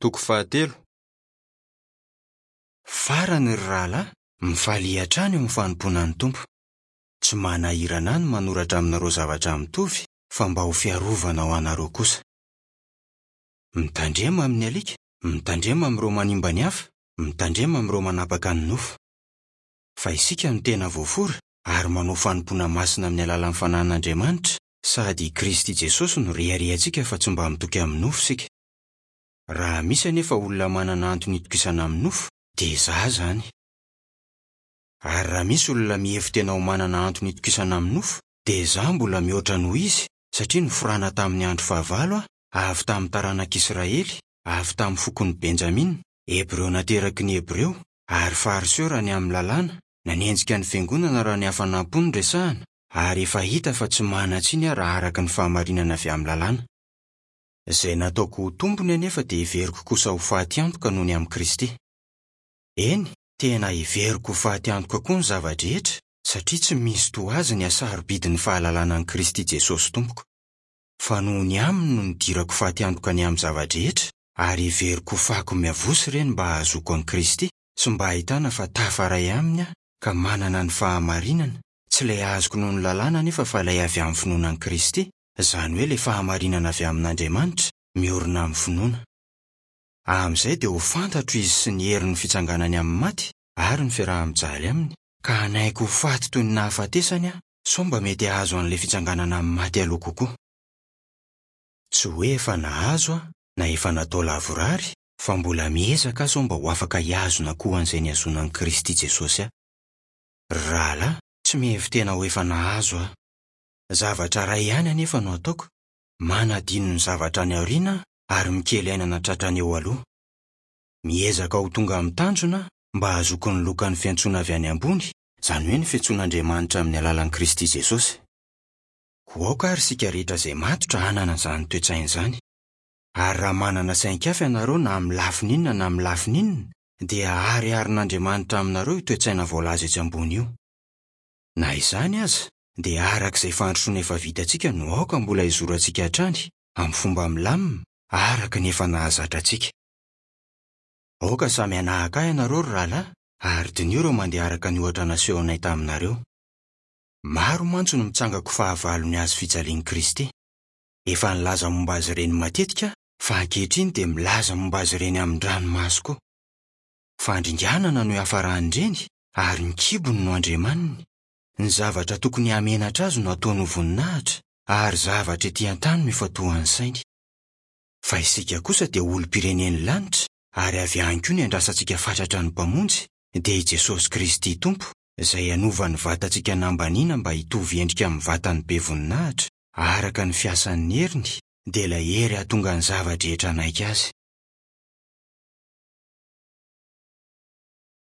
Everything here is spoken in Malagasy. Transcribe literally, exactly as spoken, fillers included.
Toko fahatelo. Farany ry rahalahy, mifalia hatrany eo amin'ny fanompoana ny Tompo. Tsy manahirana ahy ny manoratra aminareo zavatra mitovy fa mba ho fiarovana ho anareo kosa. Mitandrema amin'ny alika, mitandrema amin'ireo manimba ny hafa, mitandrema amin'ireo manapaka ny nofo. Fa isika no tena voafora ary manao fanompoana masina amin'ny alalan'ny Fanahin'Andriamanitra, sady i Kristy Jesosy no reharehantsika fa tsy mba mitoky amin'ny nofo isika. Raha misy anefa olona manana antony itokisana amin'ny nofo, dia izaho izany. Ary raha misy olona mihevi-tena ho manana antony itokisana amin'ny nofo, dia izaho mbola mihoatra noho izy, satria noforana tamin'ny andro fahavalo aho, avy tamin'ny taranak'Israely, avy tamin'ny fokon'i Benjamina, Hebreo nateraky ny Hebreo, ary Fariseo raha ny amin'ny lalàna, nanenjika ny fiangonana raha ny hafanam-po no resahana, ary efa hita fa tsy manan-tsiny aho raha araka ny fahamarinana avy amin'ny lalàna. Izay nataoko ho tompony anefa dia heveriko kosa ho fatiantoka noho ny amin'i Kristy. Eny, tena heveriko ho fatiantoka koa ny zava-drehetra, satria tsy misy toa azy ny hasarobidin'ny fahalalana an'i Kristy Jesosy Tompoko. Fa noho ny aminy no nidirako fatiantoka ny amin'ny zava-drehetra, ary heveriko ho fako miavosa ireny mba hahazoako an'i Kristy sy mba hahitana fa tafaray aminy aho ka manana ny fahamarinana, tsy ilay azoko noho ny lalàna anefa fa ilay avy amin'ny finoana an'i Kristy, izany hoe ilay fahamarinana avy amin'Andriamanitra, miorina amin'ny finoana. Amin'izay dia ho fantatro izy sy ny herin'ny fitsanganany amin'ny maty ary ny fiaraha-mijaly aminy, ka hanaiky ho faty toy ny nahafatesany aho, sao mba mety hahazo an'ilay fitsanganana amin'ny maty aloha kokoa. Tsy hoe efa nahazo aho na efa natao lavorary, fa mbola miezaka aho sao mba ho afaka hihazona koa an'izay nihazonan'i Kristy Jesosy ahy. Ry rahalahy, tsy mihevi-tena ho efa nahazo aho. Zavatra iray ihany anefa no ataoko, manadino ny zavatra any aoriana aho ary mikely aina nahatratra ny eo aloha. Miezaka ho tonga amin'ny tanjona aho mba hahazoako ny lokan'ny fiantsoana avy any ambony, izany hoe ny fiantsoan'Andriamanitra amin'ny alalan'i Kristy Jesosy. Koa aoka ary isika rehetra izay matotra hanana izany toe-tsaina izany. Ary raha manana sain-kafa ianareo na amin'ny lafiny inona na amin'ny lafiny inona, dia hahariharin'Andriamanitra aminareo io toe-tsaina voalaza etsy ambony io. Na izany aza, dia araka izay fandrosoana efa vitantsika no aoka mbola hizorantsika hatrany, amin'ny fomba milamina, araka ny efa nahazatra antsika. Aoka samy hanahaka ahy ianareo ry rahalahy, ary diniho ireo mandeha araka ny ohatra nasehonay taminareo. Maro mantsy no mitsangako fahavalon'ny hazo fijalian'i Kristy. Efa nilaza momba azy ireny matetika aho, fa ankehitriny dia milaza momba azy ireny amin-dranomaso koa. Fandringanana no iafaran'ireny, ary ny kibony no andriamaniny. Ny zavatra tokony hahamenatra azy no ataony ho voninahitra, ary zavatra ety an-tany no ifantohan'ny sainy. Fa isika kosa dia olom-pirenen'ny lanitra, ary avy any koa ny andrasantsika fatratra ny Mpamonjy, dia i Jesosy Kristy Tompo, izay hanova ny vatantsika nambaniana mba hitovy endrika amin'ny vatany be voninahitra, araka ny fiasan'ny heriny, dia ilay hery hahatonga ny zava-drehetra hanaiky azy.